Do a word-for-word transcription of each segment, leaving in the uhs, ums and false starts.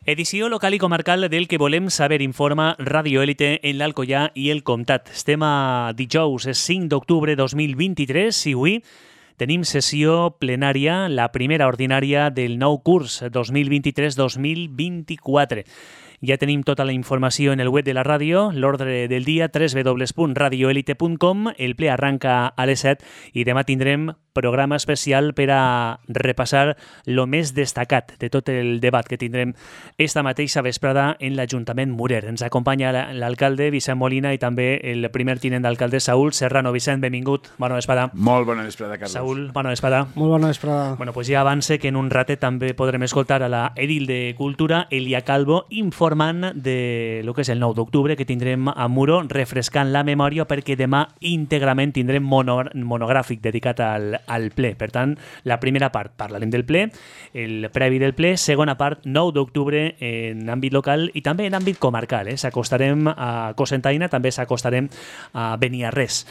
Edició local i comarcal del que volem saber informa Radio Élite en l'Alcoià i el Comtat. Estem a dijous, cinc d'octubre de dos mil vint-i-tres i avui tenim sessió plenària, la primera ordinària del nou curs dos mil vint-i-tres dos mil vint-i-quatre. Ja tenim tota la informació en el web de la ràdio, l'ordre del dia w w w punt radio elite punt com, el ple arranca a les set i demà tindrem programa especial per a repassar lo més destacat de tot el debat que tindrem esta mateixa vesprada en l'Ajuntament Murer. Ens acompanya l'alcalde Vicent Molina i també el primer tinent d'alcalde Saúl Serrano. Vicent, benvingut, bona vesprada. Molt bona vesprada, Carlos. Saúl, bona vesprada. Molt bona vesprada. Bueno, pues ja avance que en un ratet també podrem escoltar a la edil de Cultura, Elia Calvo, informant de lo que és el nou d'octubre que tindrem a Muro, refrescant la memòria perquè demà íntegrament tindrem mono, monogràfic dedicat al, al ple. Per tant, la primera part parlarem del ple, el previ del ple, segona part, nou d'octubre en àmbit local i també en àmbit comarcal. Eh? S'acostarem a Cocentaina, també s'acostarem a Beniarrés.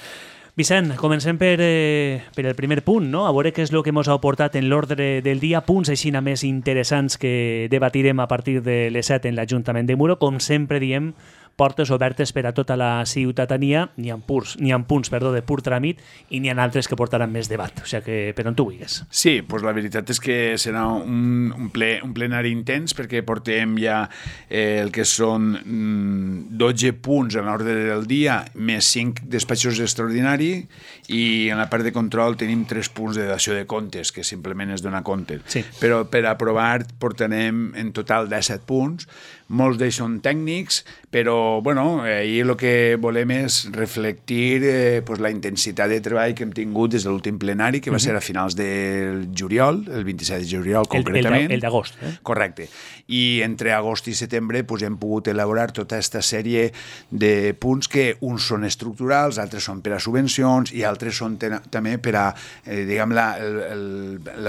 Vicent, comencem per, eh, per el primer punt, no? A veure què és el que ens ha aportat en l'ordre del dia, punts així més interessants que debatirem a partir de les set en l'Ajuntament de Muro. Com sempre diem, portes obertes per a tota la ciutadania, n'hi ha punts, n'hi ha punts perdó, de pur tràmit i n'hi ha altres que portaran més debat, o sigui que per on tu vulguis. Sí, doncs la veritat és que serà un, un, ple, un plenari intens perquè portem ja eh, el que són mm, dotze punts en l'ordre del dia, més cinc despatxos extraordinaris i en la part de control tenim tres punts de dació de comptes, que simplement és donar compte. Sí. Però per aprovar portarem en total disset punts, molts d'ells són tècnics, però bueno, ahir el que volem és reflectir eh, pues, la intensitat de treball que hem tingut des de l'últim plenari, que va ser a finals del juliol, el vint-i-set de juliol concretament. El, el d'agost. Eh? Correcte. I entre agost i setembre pues, hem pogut elaborar tota aquesta sèrie de punts que uns són estructurals, altres són per a subvencions i altres són també per a, eh, diguem, la, el, el,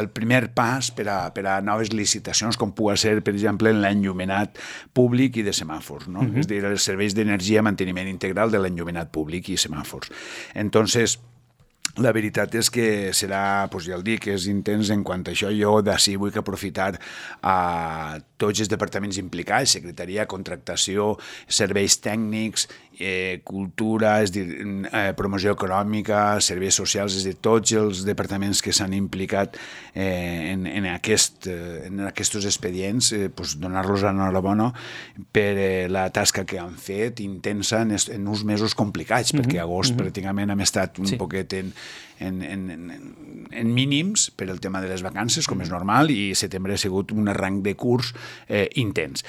el primer pas per a, per a noves licitacions, com pugui ser, per exemple, en l'enllumenat públic i de semàfors, no? Uh-huh. És a dir, els serveis d'energia, manteniment integral de l'enllumenat públic i semàfors. Entonces, la veritat és que serà, doncs ja el dic, és intens en quant a això. Jo d'ací vull aprofitar a tots els departaments implicats, secretaria, contractació, serveis tècnics, eh, cultura, és dir, eh, promoció econòmica, serveis socials, és dir, tots els departaments que s'han implicat eh, en, en, aquest, eh, en aquests expedients, eh, doncs donar-los enhorabona per eh, la tasca que han fet, intensa en, en uns mesos complicats, mm-hmm. perquè agost mm-hmm. pràcticament hem estat un sí. poquet en, en, en, en, en mínims per el tema de les vacances, com és normal, i setembre ha sigut un arranc de curs eh, intens.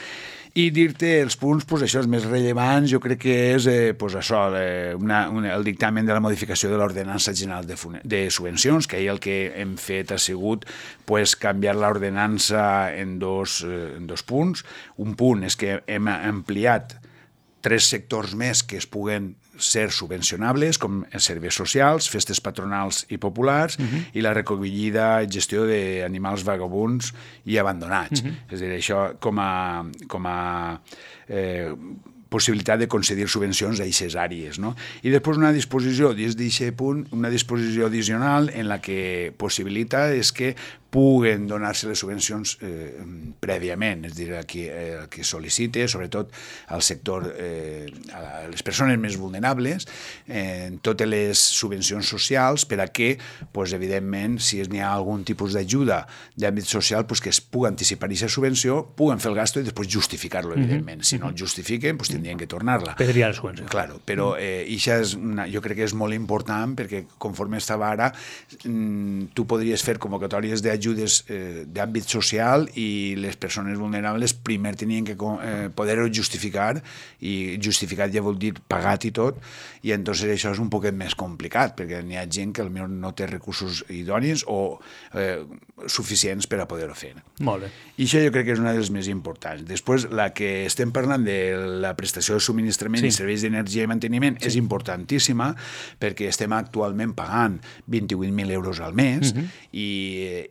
I dir-te els punts, pues, això, els més rellevants, jo crec que és eh, pues, això, eh, una, una, el dictamen de la modificació de l'ordenança general de, de subvencions, que ahir el que hem fet ha sigut pues, canviar l'ordenança en, dos, eh, en dos punts. Un punt és que hem ampliat tres sectors més que es puguen ser subvencionables, com serveis socials, festes patronals i populars, uh-huh. i la recollida i gestió d'animals vagabunds i abandonats. Uh-huh. És a dir, això com a, com a eh, possibilitat de concedir subvencions a aquestes àrees, no? I després una disposició, dins d'aquest punt, una disposició addicional en la que possibilita és que puguen donar-se les subvencions eh, prèviament, és a dir, a qui, eh, qui sol·licite, sobretot al sector, eh, a les persones més vulnerables, eh, en totes les subvencions socials, per a que, pues, evidentment, si n'hi ha algun tipus d'ajuda d'àmbit social, pues, que es pugui anticipar aquesta subvenció, puguen fer el gasto i després justificar-lo, evidentment. Mm-hmm. Si no el justifiquen, pues, tindrien que tornar-la. Perdria la subvenció. Claro, però eh, això és una, jo crec que és molt important perquè, conforme estava ara, mm, tu podries fer convocatòries de ajudes eh, d'àmbit social i les persones vulnerables primer tenien que eh, poder-ho justificar, i justificat ja vol dir pagat i tot, i entonces això és un poquet més complicat perquè n'hi ha gent que potser no té recursos idonis o eh, suficients per a poder-ho fer. Molt bé. I això jo crec que és una de les més importants. Després, la que estem parlant de la prestació de subministrament sí. i serveis d'energia i manteniment sí. és importantíssima perquè estem actualment pagant vint-i-vuit mil euros al mes uh-huh. i,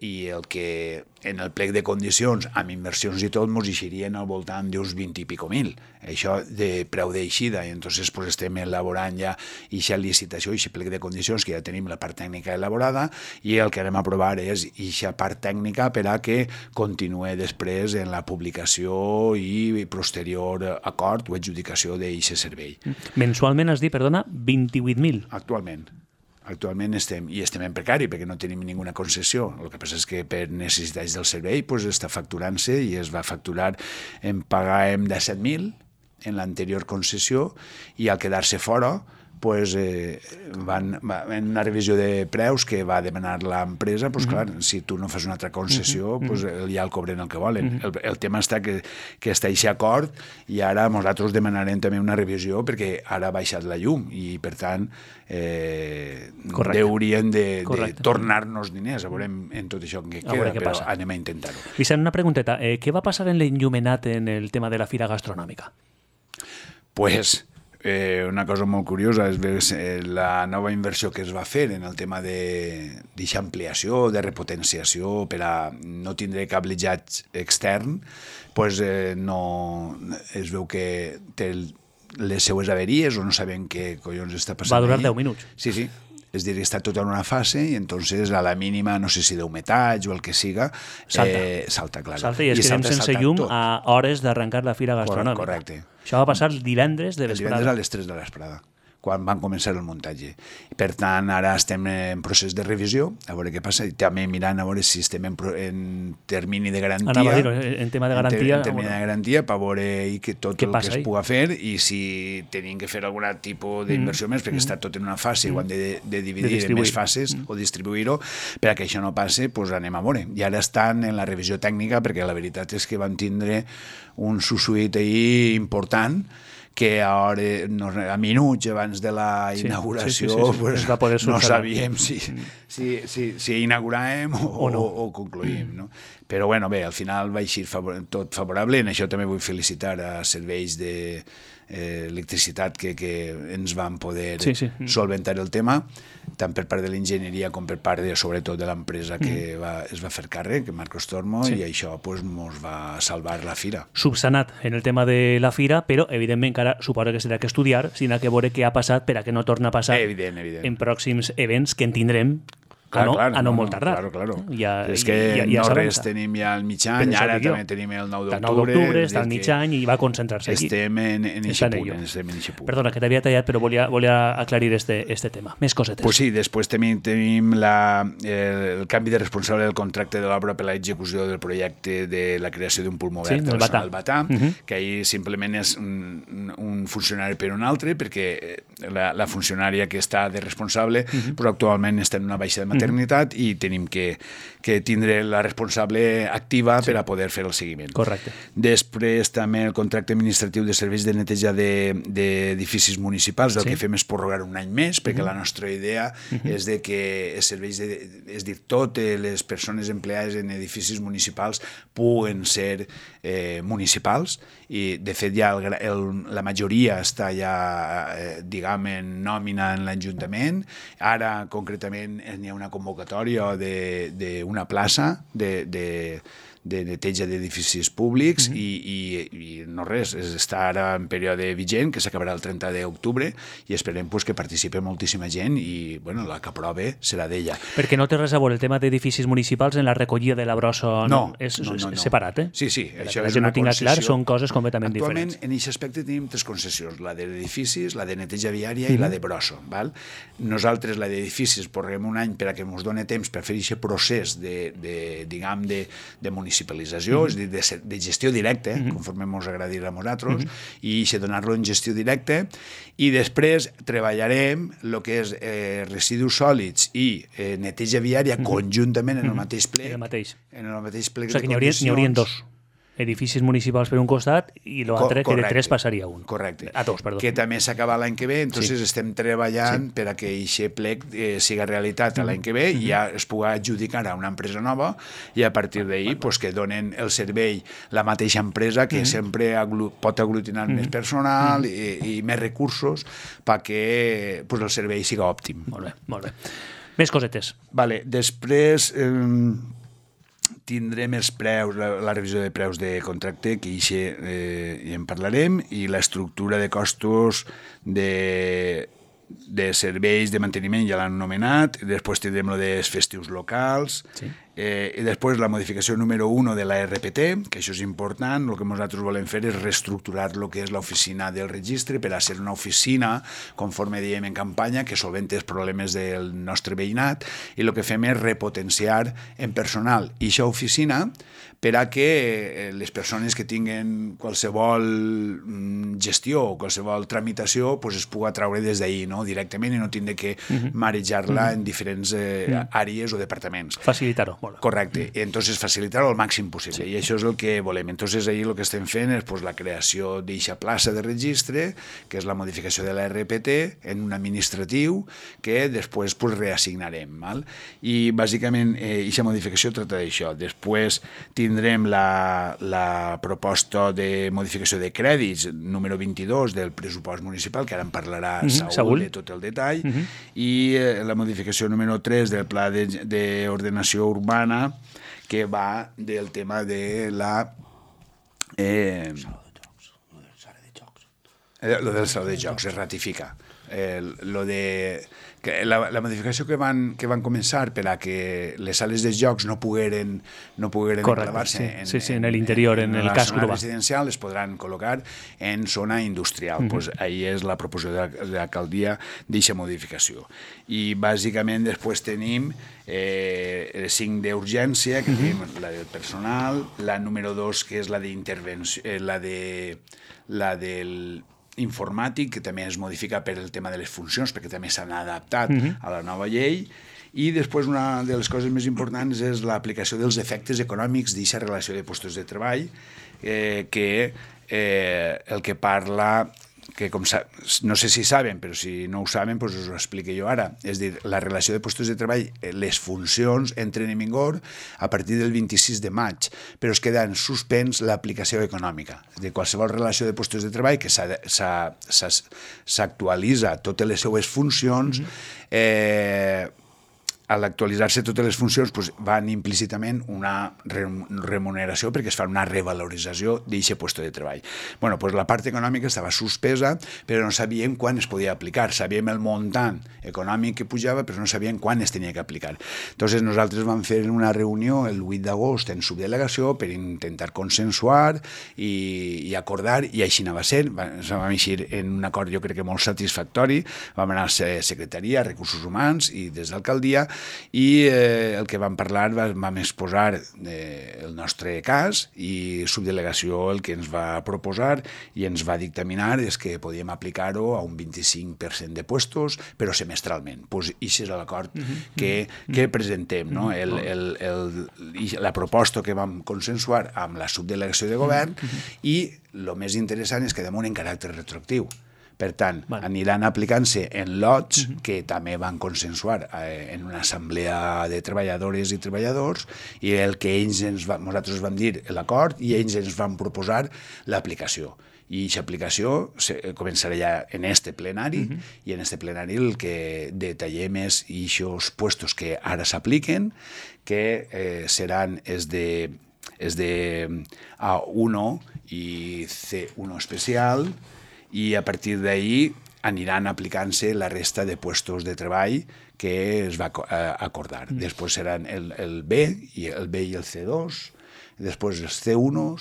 i i el que en el plec de condicions, amb inversions i tot, ens eixirien al voltant d'uns vint i pico mil. Això de preu d'eixida, i entonces pues, estem elaborant ja eixa licitació, eixa plec de condicions, que ja tenim la part tècnica elaborada, i el que anem a aprovar és eixa part tècnica per a que continuï després en la publicació i posterior acord o adjudicació d'eixe servei. Mensualment has dit, perdona, vint-i-vuit mil. Actualment. Actualment estem, i estem en precari perquè no tenim ninguna concessió. El que passa és que per necessitats del servei pues, està facturant-se i es va facturar, en pagàvem disset mil en l'anterior concessió i al quedar-se fora pues, eh, van, va, en una revisió de preus que va demanar l'empresa, pues, clar, si tu no fas una altra concessió, pues, ja el cobren el que volen. El, el tema està que, que està aquest acord i ara nosaltres demanarem també una revisió perquè ara ha baixat la llum i, per tant, eh, haurien de, de tornar-nos diners. A veure en tot això que queda, però passa. Anem a intentar-ho. Vicent, una pregunteta. Eh, què va passar en l'enllumenat en el tema de la fira gastronòmica? Pues... Eh, una cosa molt curiosa és eh, la nova inversió que es va fer en el tema d'aquesta ampliació, de repotenciació per a no tindre cablejat extern, pues, eh, no, es veu que té les seues averies o no sabem què collons està passant. Va durar ahí. deu minuts. Sí, sí. És dir, està tot en una fase i entonces a la mínima, no sé si d'humetats o el que siga, salta, eh, salta clar. Salta i es quedem sense llum tot. A hores d'arrencar la fira gastronòmica. Correcte. Això va passar divendres de vesprada. Divendres a les tres de l'esprada, quan van començar el muntatge. Per tant, ara estem en procés de revisió, a veure què passa, i també mirant a veure si estem en, en termini de garantia. Anava a dir, en tema de garantia. En, ter, en termini de garantia, per veure que tot el que es ahí? puga fer i si tenim que fer algun tipus d'inversió mm. més, perquè mm. està tot en una fase, mm. ho han de, de dividir de en més fases mm. o distribuir-ho, per a que això no passe, doncs anem a veure. I ara estan en la revisió tècnica, perquè la veritat és que van tindre un sussuit ahí important, que a, hora, no, a minuts abans de la inauguració sí, sí, sí, sí. Pues, va no sabíem si, si, si, si inauguràvem o, o, no. o, o concluïm. No? Però bueno, bé, al final va eixir favor, tot favorable. En això també vull felicitar a serveis de eh, electricitat que, que ens van poder sí, sí. solventar el tema, tant per part de l'enginyeria com per part, de, sobretot, de l'empresa que mm. va, es va fer càrrec, Marcos Tormo, sí. i això pues, mos va salvar la fira. Subsanat en el tema de la fira, però evidentment encara suposo que s'ha que estudiar, sinó que veure què ha passat per a que no torni a passar evident, evident. en pròxims events que en tindrem Clar, a no, clar, a no no, molt tardar. Claro, claro. Ja, és que ja, ja no res tenim ja al mig any, ara també tenim el nou d'octubre. El nou d'octubre està al mig any i va concentrar-se aquí. Estem en eixe punt. Estem en eixe punt. Perdona, que t'havia tallat, però volia, volia aclarir este, este tema. Més cosetes. Pues sí, després tenim, tenim la, el, el canvi de responsable del contracte de l'obra per a l'execució del projecte de la creació d'un pulmó verd sí, a la zona del Batà, uh -huh. que ahir simplement és un, un funcionari per un altre, perquè la, la funcionària que està de responsable uh -huh. pues, actualment està en una baixa de maternitat uh -huh. i tenim que, que tindre la responsable activa sí. per a poder fer el seguiment. Correcte. Després també el contracte administratiu de serveis de neteja d'edificis de, municipals, el sí. que fem és prorrogar un any més, perquè uh -huh. la nostra idea uh -huh. és de que els serveis, de, és dir, totes les persones empleades en edificis municipals puguen ser eh, municipals, i de fet ja el, el, la majoria està ja, eh, diguem, en nòmina en l'Ajuntament. Ara, concretament, n'hi ha una convocatòria d'una plaça de, de, de neteja d'edificis públics mm -hmm. i, i, i no res, està ara en període vigent, que s'acabarà el trenta d'octubre, i esperem pues, que participi moltíssima gent i bueno, la que aprove serà d'ella. Perquè no té res a veure el tema d'edificis municipals en la recollida de la brossa, no? No, és, no, no, no. separat, eh? Sí, sí, això la és una no tinga concessió. Clar, són coses completament Actualment, diferents. Actualment, en aquest aspecte tenim tres concessions, la d'edificis, la de neteja viària mm -hmm. i la de brossa. Val? Nosaltres, la d'edificis, porrem un any per a que ens doni temps per fer aquest procés de, de diguem, de, de municipalització, mm -hmm. és a dir, de, de gestió directa, mm -hmm. conforme ens agradi a nosaltres, mm -hmm. i això donar-lo en gestió directa, i després treballarem el que és eh, residus sòlids i eh, neteja viària mm -hmm. conjuntament en el mateix plec. En el mateix. En el mateix plec o sigui, de que n'hi haurien dos edificis municipals per un costat i l'altre, que de tres passaria a un. Correcte. A dos, perdó. Que també s'acaba l'any que ve, entonces sí. estem treballant sí. per a que aquest plec eh, siga realitat mm -hmm. l'any que ve, mm -hmm. i ja es pugui adjudicar a una empresa nova, i a partir d'ahir pues, que donen el servei la mateixa empresa, que mm -hmm. sempre aglu pot aglutinar mm -hmm. més personal mm -hmm. i, i més recursos perquè pues, el servei siga òptim. Molt bé, molt bé. Més cosetes. Vale, després... Eh, tindrem els preus, la, la revisió de preus de contracte, que ixe, eh, hi en parlarem, i l'estructura de costos de, de serveis de manteniment, ja l'han anomenat, després tindrem lo dels festius locals, sí. eh, i després la modificació número uno de la R P T, que això és important, el que nosaltres volem fer és reestructurar el que és l'oficina del registre per a ser una oficina, conforme diem en campanya, que solventa els problemes del nostre veïnat, i el que fem és repotenciar en personal i aquesta oficina per a que les persones que tinguen qualsevol gestió o qualsevol tramitació pues es pugui treure des d'ahir, no? Directament, i no tindre que uh-huh. marejar-la uh-huh. en diferents eh, uh-huh. àrees o departaments. Facilitar-ho. Molt. Correcte. Uh-huh. Entonces, facilitar-ho al màxim possible. Sí. I això és el que volem. Entonces, ahir el que estem fent és pues, la creació d'eixa plaça de registre, que és la modificació de la R P T en un administratiu que després pues, reassignarem. Val? I, bàsicament, eixa eh, modificació tracta d'això. Després, tindrem la, la proposta de modificació de crèdits número vint-i-dos del pressupost municipal, que ara en parlarà mm-hmm, Saúl, Saúl de tot el detall, mm-hmm. i eh, la modificació número tres del pla d'ordenació urbana, que va del tema de la... Eh, eh, lo del saló de jocs, es ratifica. Eh, lo de... Que la, la modificació que van, que van començar per a que les sales de jocs no pogueren, no pogueren enclavar-se sí, en, sí, sí, en l'interior, en, en, en el casc urbà. Residencial, es podran col·locar en zona industrial. Mm-hmm. Pues ahí és la proposició de l'alcaldia d'eixa modificació. I bàsicament després tenim eh, el cinc d'urgència, que mm-hmm. tenim la del personal, la número dos, que és la d'intervenció, eh, la de la del informàtic, que també es modifica per el tema de les funcions, perquè també s'han adaptat uh-huh. a la nova llei, i després una de les coses més importants és l'aplicació dels efectes econòmics d'aquesta relació de postos de treball, eh, que eh, el que parla, que com sa, no sé si saben, però si no ho saben, doncs us ho explico jo ara. És dir, la relació de postos de treball, les funcions entren en vigor a partir del vint-i-sis de maig, però es queda en suspens l'aplicació econòmica. És dir, qualsevol relació de postos de treball que s'actualitza totes les seues funcions, eh, a l'actualitzar-se totes les funcions doncs, van implícitament una remuneració perquè es fa una revalorització d'aquest lloc de treball. Bueno, doncs la part econòmica estava suspesa, però no sabíem quan es podia aplicar. Sabíem el muntant econòmic que pujava, però no sabíem quan es tenia que aplicar. Entonces nosaltres vam fer una reunió el vuit d'agost en subdelegació per intentar consensuar i, i acordar, i així anava a ser. Vam eixir en un acord jo crec que molt satisfactori. Vam anar a secretaria, a recursos humans i des d'alcaldia, i eh, el que vam parlar vam exposar eh, el nostre cas, i subdelegació el que ens va proposar i ens va dictaminar és que podíem aplicar-ho a un vint-i-cinc per cent de puestos, però semestralment. Pues, i això és l'acord mm-hmm. que, que presentem, no? el, el, el, la proposta que vam consensuar amb la subdelegació de govern, mm-hmm. i el més interessant és que damunt en caràcter retroactiu. Per tant, vale. Aniran aplicant-se en lots uh-huh. que també van consensuar eh, en una assemblea de treballadores i treballadors, i el que ells ens va, nosaltres vam dir l'acord, i ells ens van proposar l'aplicació. I aquesta aplicació se, començarà ja en este plenari, uh-huh. i en este plenari el que detallem és aquests puestos que ara s'apliquen, que eh, seran els de, els de A uno i C uno especial, i a partir d'ahir aniran aplicant-se la resta de puestos de treball que es va acordar. Mm. Després seran el, el B, i el B i el C dos, després els C uno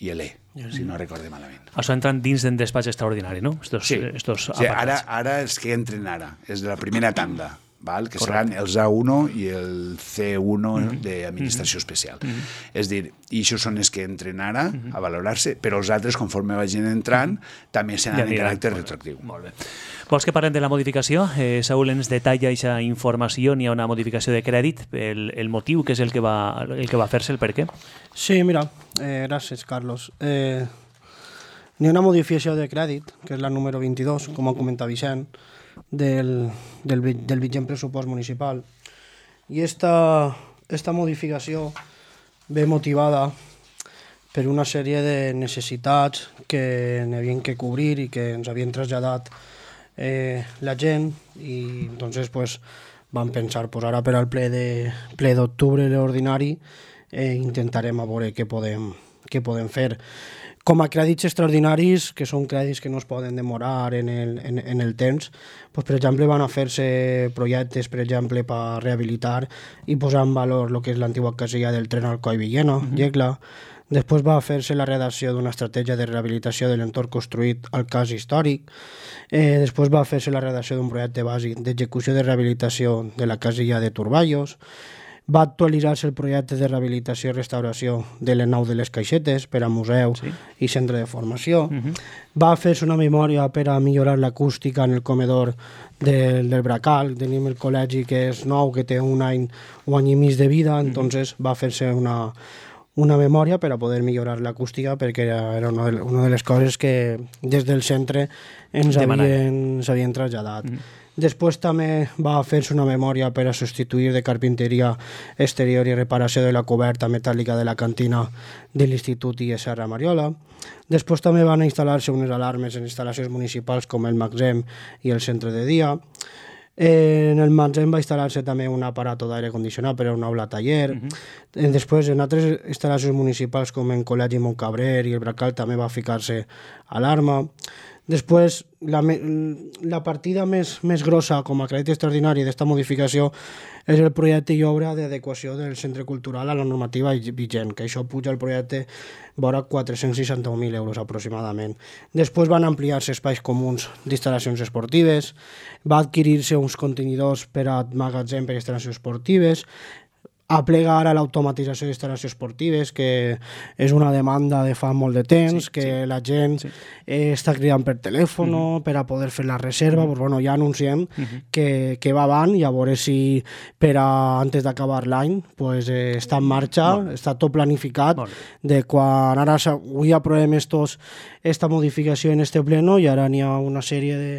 i l'E, mm. si no recorde malament. Això entran dins del despatx extraordinari, no? Estos, sí, estos sí ara, ara els que entren ara, és de la primera tanda. Val? Que Correcte. Seran els A uno i el C uno mm-hmm. d'administració mm-hmm. especial. Mm-hmm. És dir, i això són els que entren ara mm-hmm. a valorar-se, però els altres, conforme vagin entrant, mm-hmm. també seran ja en caràcter retroactiu. Molt bé. Vols que parlem de la modificació? Eh, Saúl ens detalla aquesta informació, n'hi ha una modificació de crèdit, el, el motiu, que és el que va, el que va fer-se, el per què? Sí, mira, eh, gràcies, Carlos. Eh, n'hi ha una modificació de crèdit, que és la número vint-i-dos, com ha comentat Vicent, del, del, del vigent pressupost municipal, i esta, esta modificació ve motivada per una sèrie de necessitats que n'havien que cobrir i que ens havien traslladat eh, la gent, i entonces pues, vam pensar pues, ara per al ple de ple d'octubre, l'ordinari, eh, intentarem a veure què podem, què podem fer. Com a crèdits extraordinaris, que són crèdits que no es poden demorar en el, en, en el temps, pues, per exemple, van a fer-se projectes, per exemple, per rehabilitar i posar en valor el que és l'antiga casella del tren Alcoi-Villena, uh-huh. Llecla. Després va fer-se la redacció d'una estratègia de rehabilitació de l'entorn construït al cas històric. Eh, després va fer-se la redacció d'un projecte bàsic d'execució de rehabilitació de la casella de Turballos. Va actualitzar-se el projecte de rehabilitació i restauració de l'Enau de les Caixetes per a museu sí. i centre de formació. Uh-huh. Va fer-se una memòria per a millorar l'acústica en el comedor del, del Bracal. Tenim el col·legi que és nou, que té un any, un any i mig de vida, uh-huh. entonces va fer-se una, una memòria per a poder millorar l'acústica, perquè era una de, una de les coses que des del centre ens havien, ens havien traslladat. Uh-huh. Després també va fer-se una memòria per a substituir de carpinteria exterior i reparació de la coberta metàl·lica de la cantina de l'Institut I E Serra Mariola. Després també van instal·lar-se unes alarmes en instal·lacions municipals com el Maxem i el centre de dia. En el Maxem va instal·lar-se també un aparato d'aire condicionat per a un aula taller. Uh-huh. Després, en altres instal·lacions municipals com en Col·legi Montcabrer i el Bracal també va ficar-se alarma. Després, la, la partida més, més grossa com a crèdit extraordinari d'esta modificació és el projecte i obra d'adequació del centre cultural a la normativa vigent, que això puja el projecte vora quatre-cents seixanta-un mil euros aproximadament. Després van ampliar-se espais comuns d'instal·lacions esportives, va adquirir-se uns contenidors per a magatzem per a instal·lacions esportives, aplega ara l'automatització d'instal·lacions esportives, que és una demanda de fa molt de temps, sí, que sí. la gent sí. eh, està cridant per telèfon uh-huh. per a poder fer la reserva. Uh-huh. Pues, bueno, ja anunciem uh-huh. que, que va avant i a veure si per a, antes d'acabar l'any pues, eh, està en marxa, uh-huh. està tot planificat, uh-huh. de quan ara avui aprovem estos, esta modificació en este pleno i ara n'hi ha una sèrie de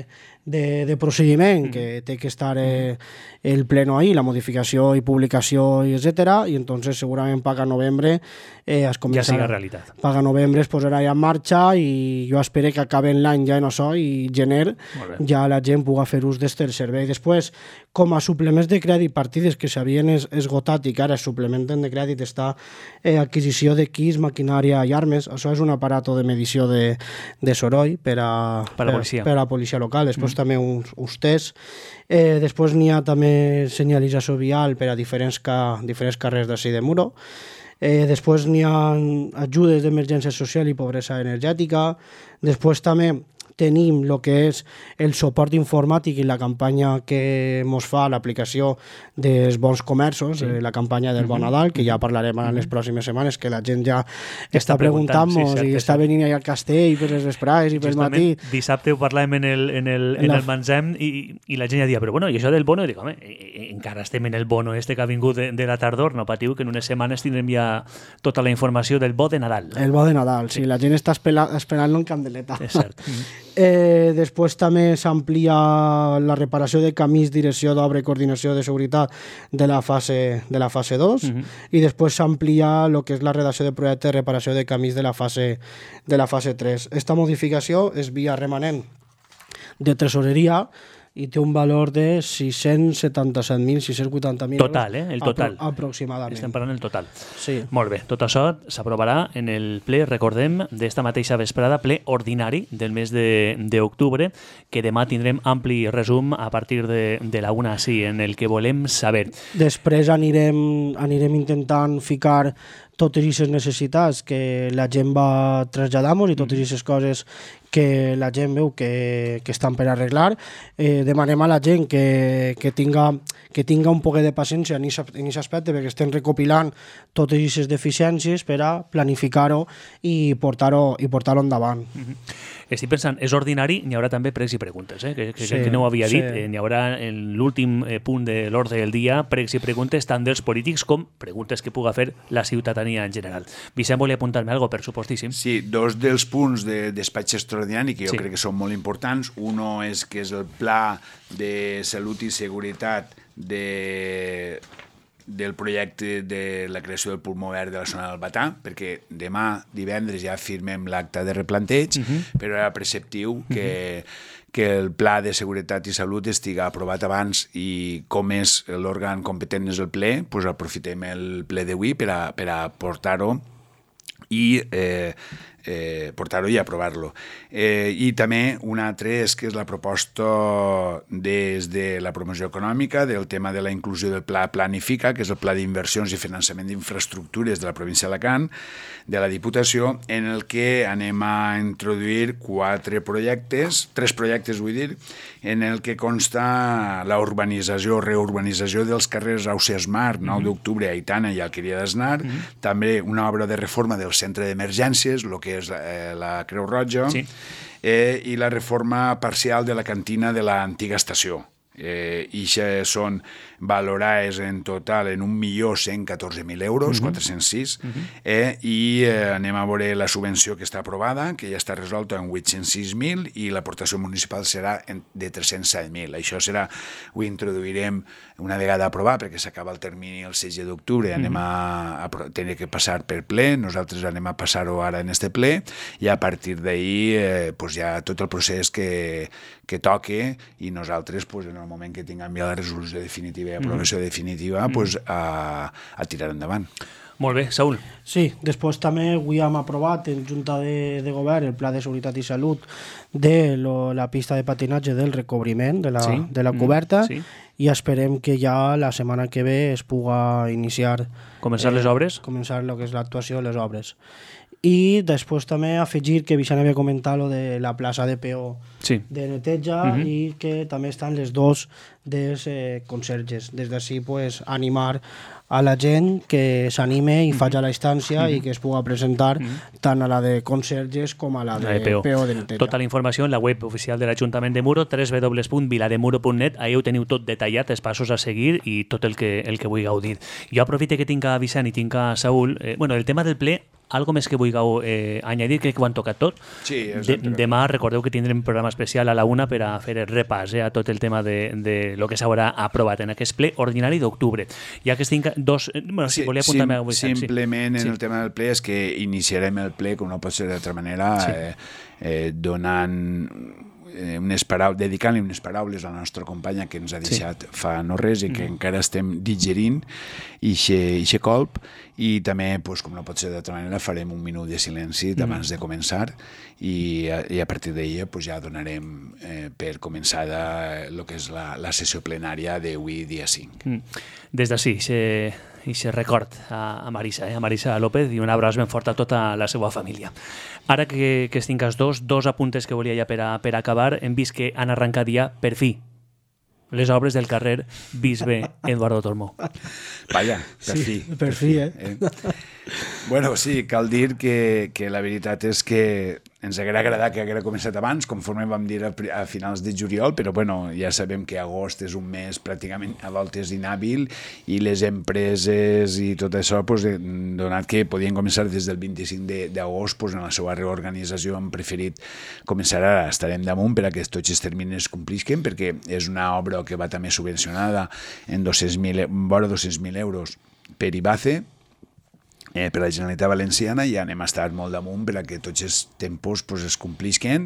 de, de procediment mm. que té que estar eh, el pleno ahí, la modificació i publicació, i etcètera, i entonces segurament paga novembre eh, es començarà. Ja siga realitat. Paga novembre es posarà ja en marxa i jo espero que acaben l'any ja en això i gener ja la gent pugui fer ús d'este servei. Després, com a suplements de crèdit, partides que s'havien es, esgotat i que ara es suplementen de crèdit, està eh, adquisició d'equips, maquinària i armes. Això és un aparato de medició de, de soroll per a, per a, policia. per, per a policia local. Després mm. també uns, uns tests. Eh, després n'hi ha també senyalització vial per a diferents, ca, diferents carrers d'ací de Muro. Eh, després n'hi ha ajudes d'emergència social i pobresa energètica. Després també tenim el que és el suport informàtic i la campanya que mos fa l'aplicació dels bons comerços, sí. eh, la campanya del uh-huh. Bon Nadal, que ja parlarem en les pròximes setmanes, que la gent ja està, està preguntant-nos sí, i està venint allà al castell per les vesprades i pel matí. Dissabte ho parlàvem en el, en el, en el Manzem i, i la gent ja dia, però bueno, i això del bono? I dic, home, encara estem en el bono este que ha vingut de, de la tardor, no patiu que en unes setmanes tindrem ja tota la informació del bo de Nadal. El bo de Nadal, sí, sí la gent està esperant-lo en candeleta. És cert. Eh, després també s'amplia la reparació de camins, direcció d'obra i coordinació de seguretat de la fase, de la fase dos uh-huh. i després s'amplia el que és la redacció de projecte de reparació de camins de la fase, de la fase tres. Esta modificació és via remanent de tresoreria i té un valor de sis-cents setanta-set mil sis-cents vuitanta mil total, eh? El total. Apro- aproximadament. Estem parlant del total. Sí. Molt bé. Tot això s'aprovarà en el ple, recordem, d'esta mateixa vesprada, ple ordinari del mes de, d'octubre, que demà tindrem ampli resum a partir de, de la una, sí, en el que volem saber. Després anirem, anirem intentant ficar totes aquestes necessitats que la gent va traslladar-nos i totes aquestes coses que la gent veu que, que estan per arreglar. Eh, demanem a la gent que, que, tinga, que tinga un poc de paciència en aquest aspecte, perquè estem recopilant totes aquestes deficiències per a planificar-ho i portar-ho i portar-ho endavant. Mm-hmm. Estic pensant, és ordinari, n'hi haurà també pregs i preguntes, eh? que, que, sí, que no ho havia dit. Sí. Eh, n'hi haurà en l'últim eh, punt de l'ordre del dia pregs i preguntes tant dels polítics com preguntes que puga fer la ciutadania en general. Vicent, volia apuntar-me alguna cosa, per supostíssim. Sí, dos dels punts de despatx extraordinari que jo sí. crec que són molt importants. Uno és que és el pla de salut i seguretat de del projecte de la creació del pulmó verd de la zona del Batà, perquè demà, divendres, ja firmem l'acte de replanteig, uh -huh. però era preceptiu que, uh -huh. que el pla de seguretat i salut estiga aprovat abans, i com és l'òrgan competent és el ple, doncs aprofitem el ple d'avui per a, per a portar-ho i eh, eh, portar-ho i aprovar-lo. Eh, I també un altre és que és la proposta des de la promoció econòmica del tema de la inclusió del Pla Planifica, que és el Pla d'Inversions i Finançament d'Infraestructures de la província d'Alacant, de la Diputació, en el que anem a introduir quatre projectes, tres projectes vull dir, en el que consta la urbanització, reurbanització dels carrers Ausiàs Mar, nou d'octubre, Aitana i Alqueria d'Asnar, mm-hmm. també una obra de reforma del centre d'emergències, el que és eh, la Creu Roja, sí. eh, i la reforma parcial de la cantina de l'antiga estació. Eh, i això són valorades en total en un milió cent catorze mil euros, uh-huh. quatre-cents sis, uh-huh. eh, i eh, anem a veure la subvenció que està aprovada, que ja està resolta en vuit-cents sis mil, i l'aportació municipal serà de tres-cents set mil. Això serà, ho introduirem una vegada aprovat, perquè s'acaba el termini el setze d'octubre, anem a, a tenir que passar per ple, nosaltres anem a passar-ho ara en este ple, i a partir d'ahir eh, pues ja tot el procés que, que toque, i nosaltres pues, en el moment que tinguem ja la resolució definitiva i aprovació mm. definitiva, mm. pues, a, a tirar endavant. Molt bé, Saúl. Sí, després també avui hem aprovat en Junta de, de Govern el Pla de Seguretat i Salut de lo, la pista de patinatge del recobriment de la, sí. de la coberta, mm. sí. i esperem que ja la setmana que ve es puga iniciar... Començar eh, les obres? Començar el que és l'actuació de les obres. I després també afegir que Vicent havia comentat lo de la plaça de peó sí. de neteja uh-huh. i que també estan les dos dels eh, conserges. Des d'ací pues, animar a la gent que s'anime i uh-huh. faci la instància uh-huh. i que es pugui presentar uh-huh. tant a la de conserges com a la de, la de peó. peó de neteja. Tota la informació en la web oficial de l'Ajuntament de Muro, w w w punt vilademuro punt net, ahí ho teniu tot detallat, els passos a seguir i tot el que, el que vull gaudir. Jo aprofite que tinc a Vicent i tinc a Saúl. Eh, bueno, el tema del ple, algo més que vulgueu eh, añadir, crec que ho han tocat tot. Sí, de, demà recordeu que tindrem un programa especial a la una per a fer el repàs eh, a tot el tema de, de lo que s'haurà aprovat en aquest ple ordinari d'octubre. Ja que estic dos... Bueno, si sí, volia apuntar-me a Vicent. Simplement sí. en el tema del ple és que iniciarem el ple, com no pot ser d'altra manera, sí. eh, eh, donant... unes paraules, dedicant-li unes paraules a la nostra companya que ens ha deixat sí. fa no res i que mm. encara estem digerint ixe colp, i també, pues, com no pot ser d'altra manera, farem un minut de silenci mm. abans de començar i a, i a partir d'ahir pues, ja donarem eh, per començada el que és la, la sessió plenària d'avui dia cinc. Mm. Des d'ací, se... i se record a, a Marisa, eh? a Marisa López, i un abraç ben fort a tota la seva família. Ara que, que estic els dos, dos apuntes que volia ja per, a, per acabar, hem vist que han arrencat ja, per fi, les obres del carrer Bisbe Eduardo Tormó. Vaja, per sí, fi. Per, per fi, eh? eh? Bueno, sí, cal dir que, que la veritat és que ens hauria agradat que haguera començat abans, conforme vam dir a, a finals de juliol, però bueno, ja sabem que agost és un mes pràcticament a voltes inhàbil i les empreses i tot això, pues, donat que podien començar des del vint-i-cinc d'agost, pues, en la seva reorganització han preferit començar ara. Estarem damunt per a que tots els termines complisquen, perquè és una obra que va també subvencionada en dos-cents mil, vora dos-cents mil euros per I B A C E, Eh, per la Generalitat Valenciana, i anem a estar molt damunt per a que tots els tempos pues, es complisquen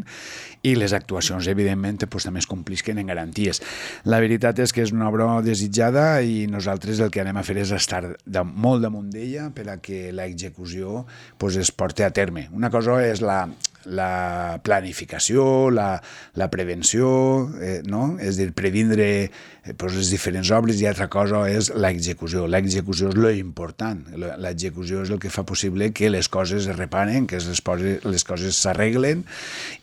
i les actuacions, evidentment, pues, també es complisquen en garanties. La veritat és que és una obra desitjada i nosaltres el que anem a fer és estar de, molt damunt d'ella per a que l'execució pues, es porti a terme. Una cosa és la, la planificació, la, la prevenció, eh, no? És a dir, previndre eh, pues, les diferents obres, i altra cosa és l'execució. L'execució és l'important. L'execució és el que fa possible que les coses es reparen, que les, poses, les coses s'arreglen,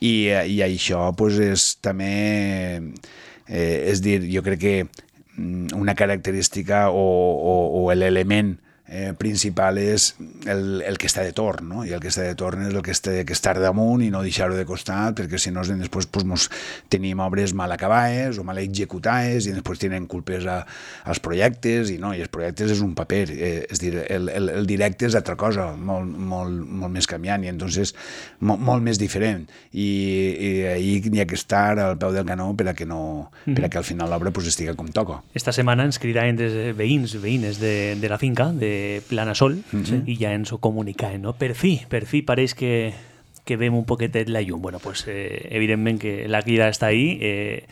i, i això pues, és també, eh, és dir, jo crec que una característica o, o, o l'element eh, principal és el, el que està de torn, no? I el que està de torn és el que està que estar damunt i no deixar-ho de costat, perquè si no després pues, mos tenim obres mal acabades o mal executades i després tenen culpes a, als projectes i no, i els projectes és un paper, eh, és dir, el, el, el directe és altra cosa, molt, molt, molt més canviant i entonces molt, molt més diferent i, i ahir hi ha que estar al peu del canó per a que, no, mm-hmm. per a que al final l'obra pues, estiga com toca. Esta setmana ens cridaven des veïns, veïnes de, de la finca, de Planasol, mm-hmm. i ja ens ho comunicaven, no? Per fi, per fi pareix que que vem un poquetet la llum. Bueno, pues, eh, evidentment que la crida està ahí. Eh,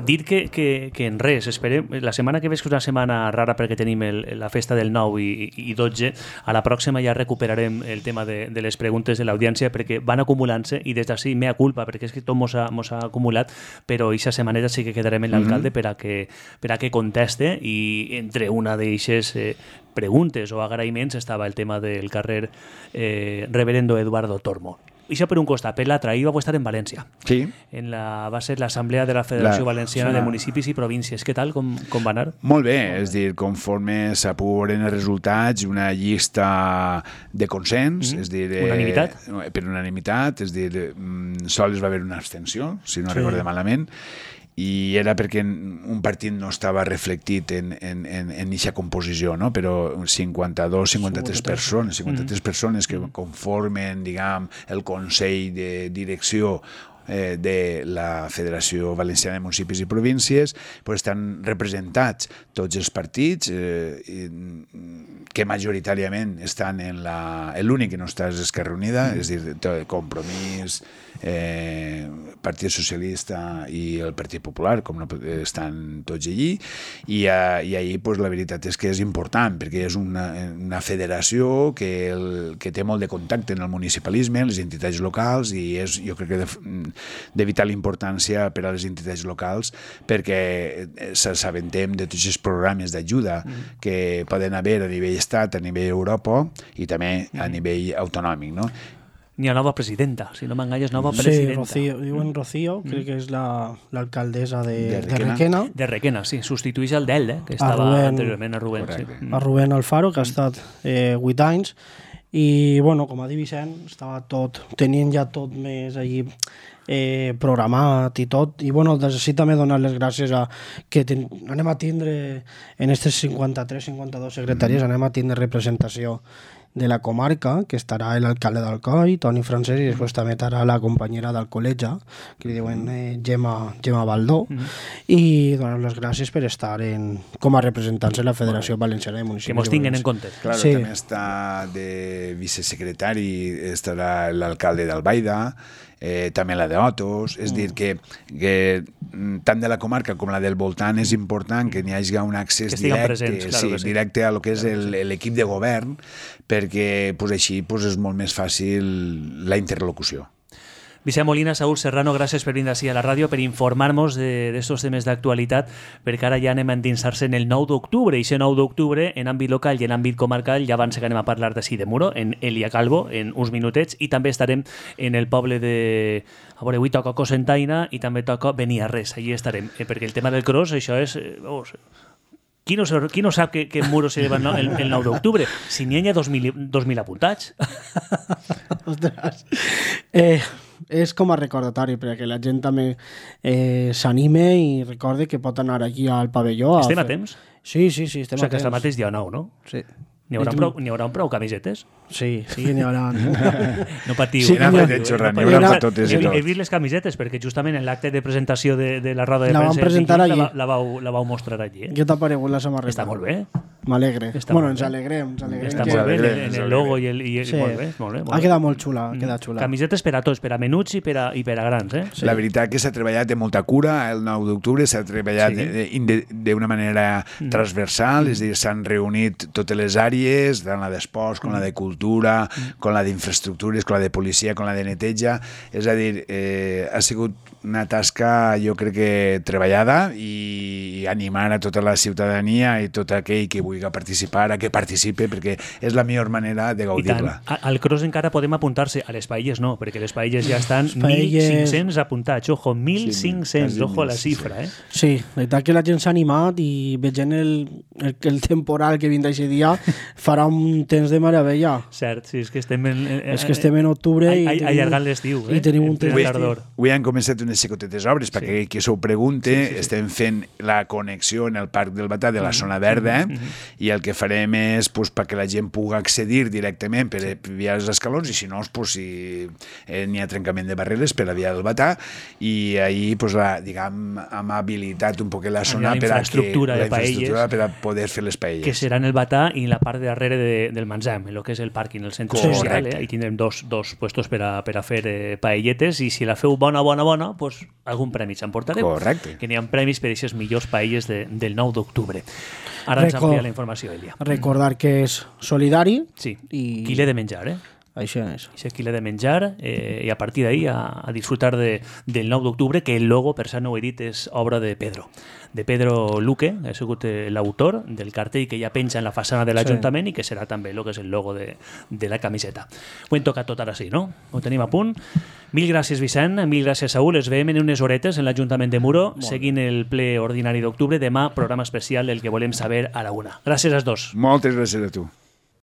dir que, que, que en res, esperem, la setmana que ve és una setmana rara perquè tenim el, la festa del nou i, i dotze, a la pròxima ja recuperarem el tema de, de les preguntes de l'audiència perquè van acumulant-se i des d'ací mea culpa perquè és que tot mos ha, mos ha acumulat, però aquesta setmaneta sí que quedarem en l'alcalde mm-hmm. per, a que, per a que conteste i entre una d'eixes eh, preguntes o agraïments estava el tema del carrer eh, Reverendo Eduardo Tormo. Això per un costat, per l'altre, ahir vau estar en València. Sí. En la, va ser l'Assemblea de la Federació la, Valenciana sí, de Municipis i Províncies. Què tal? Com, com va anar? Molt bé, és dir, conforme s'apuren els resultats, una llista de consens, mm-hmm. és dir... Eh, unanimitat? Per unanimitat, és dir, sols va haver una abstenció, si no sí. recordo malament, i era perquè un partit no estava reflectit en en en en eixa composició, no? Però cinquanta-dos cinquanta-tres persones, cinquanta-tres mm. persones que conformen, diguem, el Consell de Direcció eh, de la Federació Valenciana de Municipis i Províncies, pues estan representats tots els partits eh, i, que majoritàriament estan en la... L'únic que no està és Esquerra Unida, mm. és dir, Compromís, eh, Partit Socialista i el Partit Popular, com no estan tots allí, i, a, i ahir pues, la veritat és que és important, perquè és una, una federació que, el, que té molt de contacte en el municipalisme, les entitats locals, i és, jo crec que de, de vital importància per a les entitats locals, perquè s'assabentem de tots els programes d'ajuda mm. que poden haver a nivell estat, a nivell Europa i també a nivell autonòmic, no? Ni a nova presidenta, si no m'enganyes, nova presidenta. Sí, Rocío, diuen Rocío, mm. crec que és l'alcaldessa la, de, de, Requena. de Requena. De Requena, sí, substitueix el d'Elde, que estava Rubén, anteriorment a Rubén. Sí. A Rubén Alfaro, que ha estat eh, vuit anys, i, bueno, com ha dit Vicent, estava tot, tenien ja tot més allí eh, programat i tot, i, bueno, des d'ací també donar les gràcies a que ten, anem a tindre en aquestes cinquanta-tres cinquanta-dos secretaries, mm. anem a tindre representació de la comarca, que estarà l'alcalde d'Alcoi, Toni Francesc, i després també estarà la companyera del col·legi, que li diuen eh, Gemma, Gemma Baldó, mm-hmm. i donar les gràcies per estar en, com a representants de la Federació Valenciana de Municipis. Que mos tinguin en compte. Claro, sí. També està de vicesecretari, estarà l'alcalde d'Albaida, eh, també la d'Otos, és mm. dir que, que tant de la comarca com la del voltant és important que n'hi hagi un accés directe, presents, claro sí, sí. directe a lo que és l'equip de govern, perquè pues, així pues, és molt més fàcil la interlocució. Vicent Molina, Saúl Serrano, gràcies per venir així a la ràdio, per informar-nos d'estos de, temes d'actualitat, perquè ara ja anem a endinsar-se en el nou d'octubre, i aquest nou d'octubre, en àmbit local i en àmbit comarcal, ja abans que anem a parlar d'ací de Muro, en Elia Calvo, en uns minutets, i també estarem en el poble de... A veure, avui toca Cocentaina i també toca Beniarrés, allí estarem, eh, perquè el tema del cross, això és... Eh, oh, Qui no, qui no sap que, que en Muro se lleva el, el nou d'octubre? Si n'hi ha dos mil apuntats. Ostres. Eh, és com a recordatori, perquè la gent també eh, s'anime i recorde que pot anar aquí al pavelló. Estem a, a temps? Sí, sí, sí, estem o sigui, a temps. que és el mateix dia nou, no? Sí. N'hi haurà, prou, n'hi haurà prou camisetes? Sí, sí que n'hi haurà. No patiu. Sí, n'hi haurà, n'hi haurà per totes i tot. He vist les camisetes, perquè justament en l'acte de presentació de, de la roda de la premsa vam presentar allí. La, la, vau, la vau mostrar allí. Eh? Què t'ha paregut la samarreta? Està molt bé. M'alegre. Bueno, ens alegrem. Ens alegrem Està que... molt bé, en el logo i el... I, sí. Molt bé, molt bé. Molt ha quedat molt xula, ha quedat xula. Camisetes per a tots, per a menuts i per a, i per a grans, eh? Sí. La veritat que s'ha treballat de molta cura, el nou d'octubre s'ha treballat sí. d'una manera mm. transversal, mm. és a dir, s'han reunit totes les àrees, tant la d'esports com mm. la de cultura, mm. com la d'infraestructures, com la de policia, com la de neteja, és a dir, eh, ha sigut una tasca, jo crec que treballada, i animar a tota la ciutadania i tot aquell que vulgui vulgui participar, a que participe, perquè és la millor manera de gaudir-la. Al cross encara podem apuntar-se, a les paelles no, perquè les paelles ja estan paelles... mil cinc-cents apuntats, ojo, mil cinc-cents, sí, ojo a la xifra, eh? Sí, la veritat que la gent s'ha animat i veient el, el, el temporal que vindrà aquest dia farà un temps de meravella. Cert, sí, és que estem en, en, és que estem en octubre i, i allargant l'estiu, eh? I tenim un temps d'ardor. Avui han començat unes xicotetes obres, perquè sí. qui s'ho pregunte, sí, sí, sí. estem fent la connexió en el Parc del Batà de la zona verda, eh? mm-hmm. i el que farem és pues, perquè la gent pugui accedir directament per sí. via els escalons, i si no, pues, si eh, n'hi ha trencament de barreres per la via del Batà, i ahir pues, la, diguem, hem habilitat un poc la zona per a, que, de la infraestructura per a poder fer les paelles. Que serà en el Batà i la part de darrere de, del Manzam, el que és el pàrquing, el centre Correcte. social, eh? Ahí tindrem dos, dos puestos per a, per a fer eh, paelletes, i si la feu bona, bona, bona, pues, algun premi s'emportareu. Correcte. Que n'hi ha premis per a aquestes millors paelles de, del nou d'octubre. Ara ens amplia la informació, Elia. Recordar que és solidari. Sí, i... qui l'he de menjar, eh? Això és. Això qui l'he de menjar, eh, i a partir d'ahí a, a disfrutar de, del nou d'octubre, que el logo, per cert no ho he dit, és obra de Pedro. De Pedro Luque, ha sigut l'autor del cartell que ja penja en la façana de l'Ajuntament sí. i que serà també el que és el logo de, de la camiseta. Ho hem tocat tot ara sí, no? Ho tenim a punt. Mil gràcies, Vicent, mil gràcies, Saúl. Es veiem en unes horetes en l'Ajuntament de Muro, Molt seguint el ple ordinari d'octubre. Demà, programa especial, el que volem saber a la una. Gràcies als dos. Moltes gràcies a tu.